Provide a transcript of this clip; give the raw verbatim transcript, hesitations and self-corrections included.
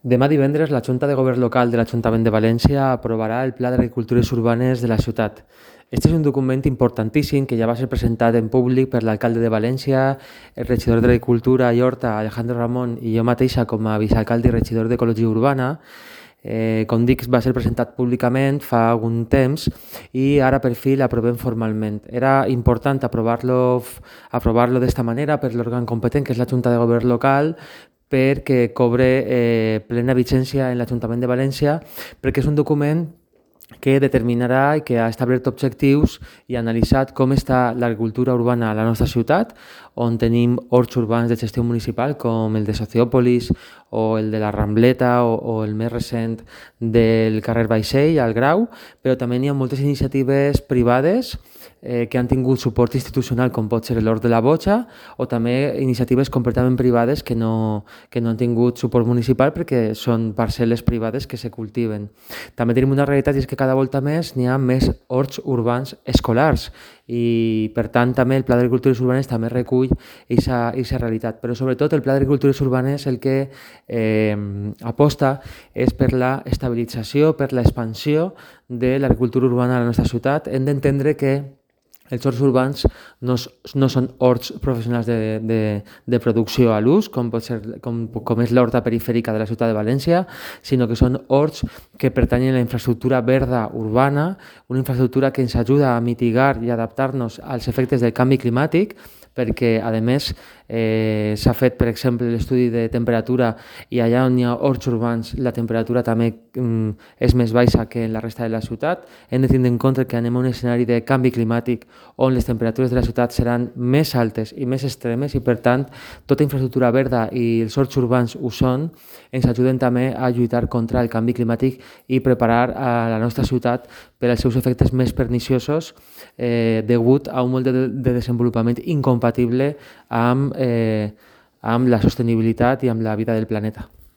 Demà divendres, la Junta de Govern Local de l'Ajuntament de València aprovarà el Pla d'Agricultures Urbanes de la ciutat. Este és un document importantíssim que ja va ser presentat en públic per l'alcalde de València, el regidor d'Agricultura i Horta, Alejandro Ramón, i jo mateixa com a vicealcalde i regidor d'Ecologia Urbana. Eh, com dic, va ser presentat públicament fa algun temps i ara per fi l'aprovem formalment. Era important aprovar-lo aprovar-lo d'esta manera per l'òrgan competent, que és la Junta de Govern Local, perquè cobre eh, plena vigència en l'Ajuntament de València, perquè és un document que determinarà i que ha establert objectius i ha analitzat com està l'agricultura urbana a la nostra ciutat, on tenim horts urbans de gestió municipal com el de Sociòpolis o el de la Rambleta o, o el més recent del carrer Vaixell, al Grau, però també hi ha moltes iniciatives privades eh, que han tingut suport institucional, com pot ser l'Hort de la Boja, o també iniciatives completament privades que no, que no han tingut suport municipal perquè són parcel·les privades que se cultiven. També tenim una realitat i és que cada volta més n'hi ha més horts urbans escolars i, per tant, també el Pla d'Agricultures Urbanes també recull aquesta realitat. Però, sobretot, el Pla d'Agricultures Urbanes el que eh, aposta és per la estabilització, per l'expansió de l'agricultura urbana a la nostra ciutat. Hem d'entendre que els horts urbans no, no són horts professionals de, de, de producció a l'ús, com, pot ser, com, com és l'horta perifèrica de la ciutat de València, sinó que són horts que pertanyen a la infraestructura verda urbana, una infraestructura que ens ajuda a mitigar i adaptar-nos als efectes del canvi climàtic, perquè, a més, eh, s'ha fet, per exemple, l'estudi de temperatura i allà on hi ha horts urbans la temperatura també mm, és més baixa que en la resta de la ciutat. Hem de tenir en compte que anem a un escenari de canvi climàtic on les temperatures de la ciutat seran més altes i més extremes i, per tant, tota infraestructura verda i els horts urbans ho són, ens ajuden també a lluitar contra el canvi climàtic i preparar a la nostra ciutat per als seus efectes més perniciosos eh, degut a un model de, de desenvolupament incompatible amb, eh, amb la sostenibilitat i amb la vida del planeta.